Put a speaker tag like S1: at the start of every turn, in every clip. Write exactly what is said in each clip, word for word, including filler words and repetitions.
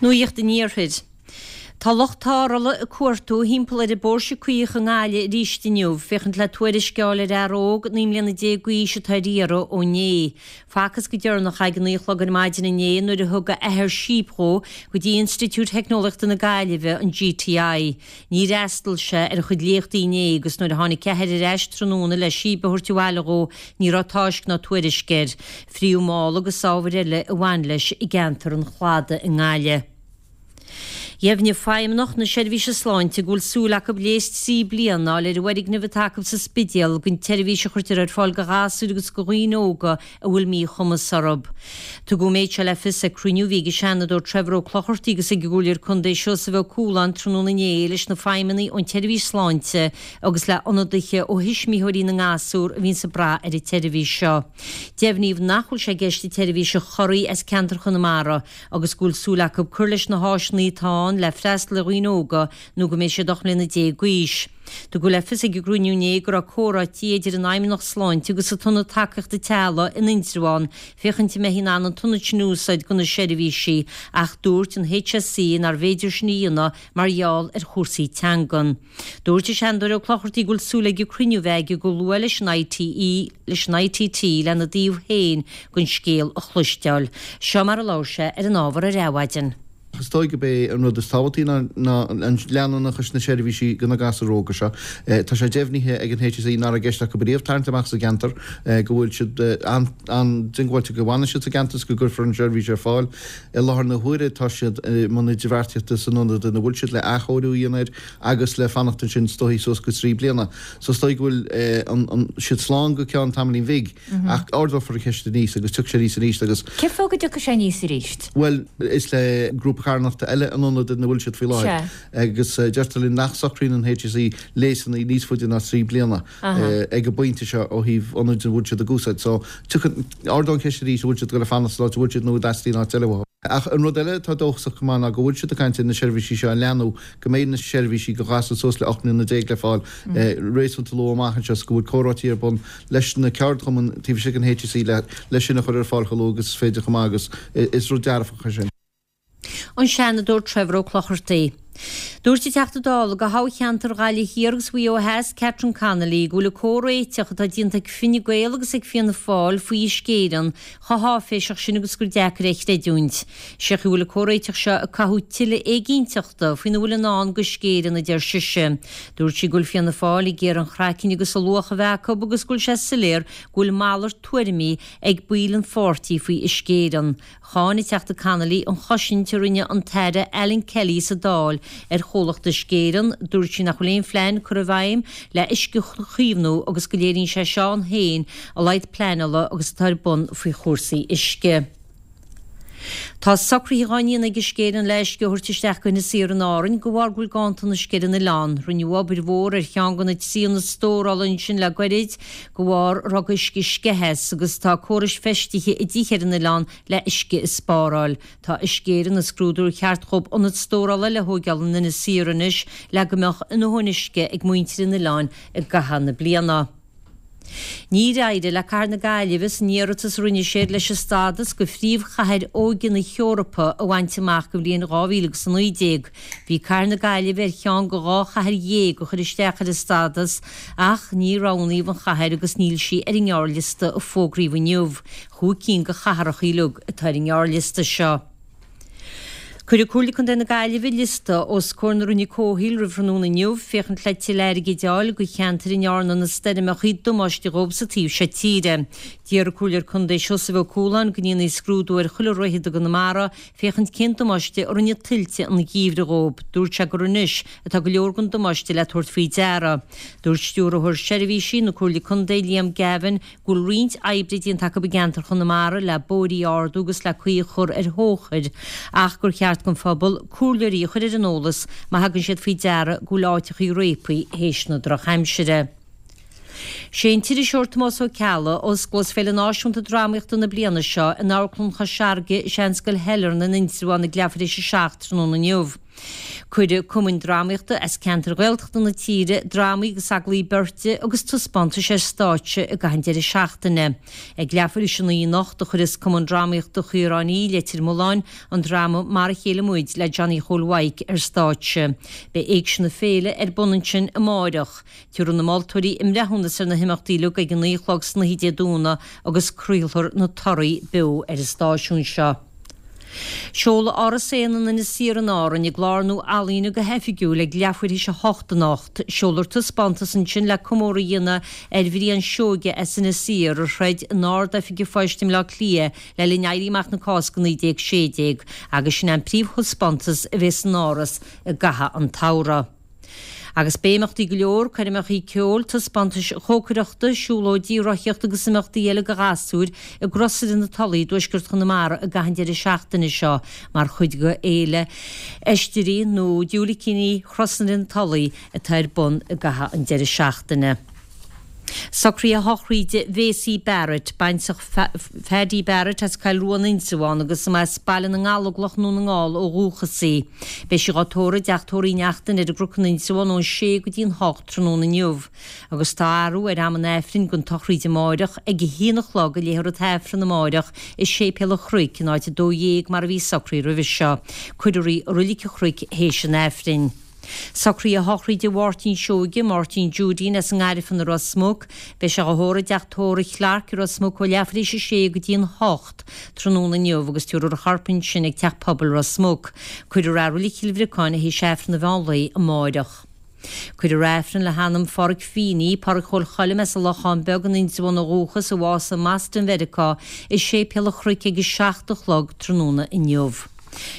S1: Nuacht an Iarthair. Tá lucht tarrthála ag cuartú thimpeall ar an bPóirse Caoch i nGaillimh arís inniu, féachaint le tuairisc a fháil ar fhear óg naoi mbliana déag d'aois atá ar iarraidh ó inné. Facthas go deireanach é ag a naoi a chlog ar maidin inné nuair a thug a athair síob dhó go dtí Institiúid Theicneolaíochta na Gaillimhe, an GTI. Níor fhreastail sé ar a chuid léachtaí inné agus nuair a tháinig a athair ar ais tráthnóna le síob a thabhairt abhaile dhó ní raibh tásc ná tuairisc air. Fríodh mála agus ábhair eile a bhain leis i gceantar an Chladaigh i nGaillimh. Dheimhnigh Feidhmeannacht na Seirbhíse Sláinte go bhfuil súil acu léas trí bliana a fháil ar an bhfoirgneamh atá acu sa Spidéal don tseirbhís a chuirtear ar fáil do ghasúir agus do dhaoine óga a bhfuil míchumas orthu. Tugadh an méid seo le fios ag cruinniú a bhí ag an Seanadóir Trevor Ó Clochartaigh agus ag an gComhairleoir Contae Seosamh Ó Cualáin tráthnóna inné leis na feidhmeannaigh ón tseirbhís sláinte agus le hionadaithe ó thuismitheoirí na ngasúr a bhíonns ag brath ar an tseirbhís seo. Deimhníodh nach bhfuil sé i gceist an tseirbhís a chorraí as ceantar Chonamara agus go bhfuil súil acu cur leis na háiseanna atá ann le freastal ar dhaoine óga nó go mbeidh siad ocht mbliana déag d'aois. Tugadh le fios ag an gcruinniú inné go raibh comhráití idir an Fheidhmeannacht Sláinte agus an tIonad Tacaíochta Teaghlaigh in Indreabhán féachaint an mbeifí in ann an t-ionad sin a úsáid do na seirbhísí ach dúirt an HSE nárbh fhéidir sin a dhéanamh mar gheall ar chúrsaí teangan. Dúirt an Seanadóir Ó Clochartaigh go bhfuil súil aige cruinniú a bheith aige go luath leis an ITE leis an ITT lena dtaobh féin den scéal a chloisteáil. Seo mar a labhair sé ar an ábhar ar Adhmhaidin.
S2: Is dóigh gurb é an rud is tábhachtaí ná an leanúnachas na seirbhísí do na gasúir óga seo. Tá sé deimhnithe ag an HSE nach raibh i gceist acu riamh tarraingt amach as an gceantar, go bhfuil siad an-diongbháilte go bhfanfaidh siad sa gceantar is go gcuirfear an tseirbhís ar fáil. I láthair na huaire tá siad i mbun idirbheartaíochta san ionad ina bhfuil siad le athchóiriú a dhéanamh air agus le fanacht ansin is dóigh suas go trí bliana. So is dóigh go bhfuil siad slán go ceann tamaillín bhig ach ardófar an cheist aníos agus tiocfaidh sé aníos arís agus.
S3: Cén fáth go dtiocfaidh sé aníos arís?
S2: Bhuel, is le grúpa carthanachta eile an ionad ina bhfuil siad faoi láthair agus deirtear linn nach socraíonn an HSE léasanna níos faide ná trí bliana ag an bpointe seo ó thaobh ionaid a bhfuil siad ag úsáid. So, tiocfaidh, ardóidh an cheist arís an bhfuil siad ag dul a fanacht san áit a bhfuil siad nó an dteastaíonn áit eile uathu. Ach an rud eile atá dóchasach chomh maith ná go bhfuil siad ag caint ar na seirbhísí seo a leathnú, go mbeidh na seirbhísí do ghasúir suas le ocht mbliana déag le fáil réasúnta luath amach anseo is go bhfuil comhráití ar bun leis na ceardchumainn taobh istigh den HSE le sin a chur ar fáil chomh luath agus is féidir chomh maith agus is rud dearfach é sin.
S1: An Seanadóir Trevor Ó Clochartaigh. Dúirt an Teachta Dála do thoghcheantar Ghaillimh Thiar agus Mhaigh Eo Theas, Catherine Connolly, go bhfuil an comhréiteach atá déanta ag Fine Gael agus ag Fianna Fáil faoi Uisce Éireann chomh háiféiseach sin agus gur deacair é a chreidiúint. Sé an chaoi a bhfuil an comhréiteach seo ag cothú tuilleadh éiginnteachta faoina bhfuil i ndán d'Uisce Éireann, a deir sise. Dúirt sí go bhfuil Fianna Fáil ag iarraidh an chraiceann agus an luach a bheith acu agus go bhfuil sé soiléir go bhfuil malairt tuairimí ag baill an pháirtí faoi Uisce Éireann. Cháin an Teachta Connolly an chosaint a rinne an tAire Alan Kelly sa Dáil ar chomhlacht Uisce Éireann. Dúirt sí nach bhfuil aon phlean curtha i bhfeidhm le uisce a chaomhnú agus go léiríonn sé seo ann féin a laghad pleanála agus atá ar bun faoi chúrsaí uisce. Tá socruithe á ndéanamh ag Uisce Éireann le uisce a thabhairt isteach go hInis Oírr in Árainn de bharr go bhfuil ganntan uisce ar an oileán. Rinneadh obair mhór ar cheann de na trí ionad stórála ansin le goirid de bharr a raibh uisce ag sceitheadh as agus tá córais feistithe i dtithe ar an oileán le uisce a spáráil. Tá Uisce Éireann ag scrúdú ar cheart dhóibh ionad stórála eile a thóigeáil in Inis Oírr anois le go mbeadh a ndóthain uisce ag muintir an oileáin i gcaitheamh na bliana. Níor éirigh le Cathair na Gaillimhe san iarratas a rinne siad leis an stádas de Phríomhchathair Óige na hEorpa a bhaint amach don bhliain dhá mhíle agus a naoi déag. Bhí Cathair na Gaillimhe ar cheann de dhá chathair dhéag a chuir isteach ar an stádas ach níor roghnaíodh an chathair agus níl sí ar an ngearrliosta a fógraíodh inniu. Chúig cinn de chathracha uilig atá ar an ngearrliosta seo. Cuirfidh Comhairle Contae na Gaillimhe liosta os comhair na Roinne Comhshaoil roimh thráthnóna inniu féachaint le tuilleadh airgid a fháil do cheantair a ndearna na stoirmeacha damáiste dhóibh sa taobh seo tíre. D'iarr an Comhairleoir Contae Seosamh Ó Cualáin go ndéanfaí scrúdú ar chuile dhroichead i gConamara féachaint cén damáiste a rinne tuilte an gheimhridh dhóibh. Dúirt sé gur anois atá go leor den damáiste le tabhairt faoi deara. Dúirt Stiúrthóir Seirbhísí na Comhairle Contae Liam Gavin go bhfuil roinnt oibre déanta acu i gceantar Chonamara le bóithrí a ardú agus le caoi a chur ar thóchair ach gur cheart don phobal comhairleoirí a chur ar an eolas má thagann siad faoi deara go bhfuil áiteachaí réabtha théis na drochaimsire. Sé an t-iriseoir Tomás Ó Ceallaigh a osclós Féile Náisiúnta Drámaíochta na bliana seo in Amharclann Chois Fharraige i Seanscoil Shailearna in Indreabhán ag leathuair tar éis a seacht tráthnóna inniu. Cuirfidh cumainn drámaíochta as ceantair Ghaeltachta na tíre drámaí agus agallaimh beirte agus taispeántais ar stáitse i gcaitheamh an deireadh seachtaine. Ag leathuair théis a naoi anocht a chuirfeas Cumann Drámaíochta Chaoráin Í, Leitir Mealláin, an dráma Mar a Chéile Muid le Johnny Chóil Mhaidhc ar stáitse. Beidh Éigse na Féile ar bun ansin amáireach. Tabharfaidh na moltóirí a mbreithiúnas ar na himeachtaí uilig ag a naoi a chlog san oíche Dé Domhnaigh agus craolfar na torthaí beo ar an stáisiún seo. Seoladh Áras Éanna in Inis Oírr in Árainn i gclár nua ealaíne go hoifigiúil ag leathuair théis a hocht anocht. Seolfar taispeántas ansin le comóradh a dhéanamh ar Bhrian Seoige as Inis Oírr a throid in Ard-Oifig an Phoist i mBleá Cliath le linn Éirí Amach na Cásca naoi déag sé déag agus sin an príomhthaispeántas a bheidh san Áras i gcaitheamh an tsamhraidh. Agus beidh imeachtaí go leor, coirmeachaí ceoil, taispeántais chócaireachta, siúlóidí, rothaíocht agus imeachtaí eile do ghasúir i gCrosaire na Tulaí i dtuaisceart Chonamara i gcaitheamh an deireadh seachtaine seo mar chuid de Fhéile Oistrí nó Diúilicíní Chrosaire na Tulaí atá ar bun i gcaitheamh an deireadh seachtaine. Socruithe sochraide Mhacy Barrett, baintreach Phaddy Barrett as Cill Rua in Indreabhán agus as Baile na nGallóglach i nDún na nGall ó dhúchas í. Beidh sí dhá tórramh i dteach tórraimh Uí Neachtain ar an gCnoc in Indreabhán ón sé go dtí an hocht tráthnóna inniu. Agus tá athrú ar am an Aifrinn don tsochraíd amáireach ag a haon a chlog a léifear an tAifreann amáireach i Séipéal an Chnoic in áit a dó dhéag mar a bhí socraithe roimhe seo. Cuirfear í i Roilig an Chnoic théis an Aifrinn. Socruithe sochraide Mháirtín Seoige, Máirtín Judeen as an nGairfean i Ros Muc. Beidh sé dhá thórramh i dteach tórraimh Clarke i Ros Muc ó leathuair théis a sé go dtí an hocht tráthnóna inniu agus tabharfar a chorp ansin ag Teach Pobail Ros Muc. Cuirfear é i Reilig Chill Bhriocáin théis Aifreann an mheán lae amáireach. Cuirfear Aifreann le hanam Pháraic Feeney, Páraic Chóil Choilm as an Lochán Beag in Indreabhán ó dhúchas, a bhásaigh i mBoston Mheiriceá, i Séipéal an Chnoic ag a seacht a chlog tráthnóna inniu.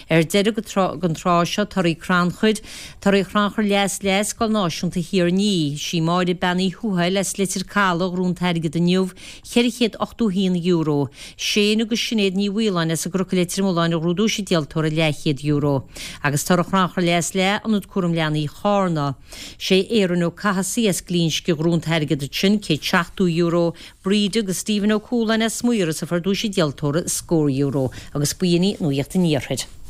S1: Ar deireadh den tráth seo, torthaí crannchuir, torthaí chrannchur leath is leath Scoil Náisiúnta Thír an Fhia. Sí Máire Bean Uí Thuathail as Leitir Caladh a ghnóthaigh an t-airgead inniu, ceithre chéad ochtó haon euro. Shane agus Sinéad Ní Mhaoláin as an gCnoc i Leitir Mealláin a ghnóthaigh duais an díoltóra, leathchéad euro. Agus toradh chrannchur leath is leath Ionad Cúram Leanaí Chárna. Sé Aaron Ó Cathasaigh as Glinsce a ghnóthaigh an t-airgead ansin, céad seachtó euro. Bríd agus Stephen Ó Cualáin as Maoras a fuair duais an díoltóra, scór euro. Agus b'in í Nuacht an Iarthair.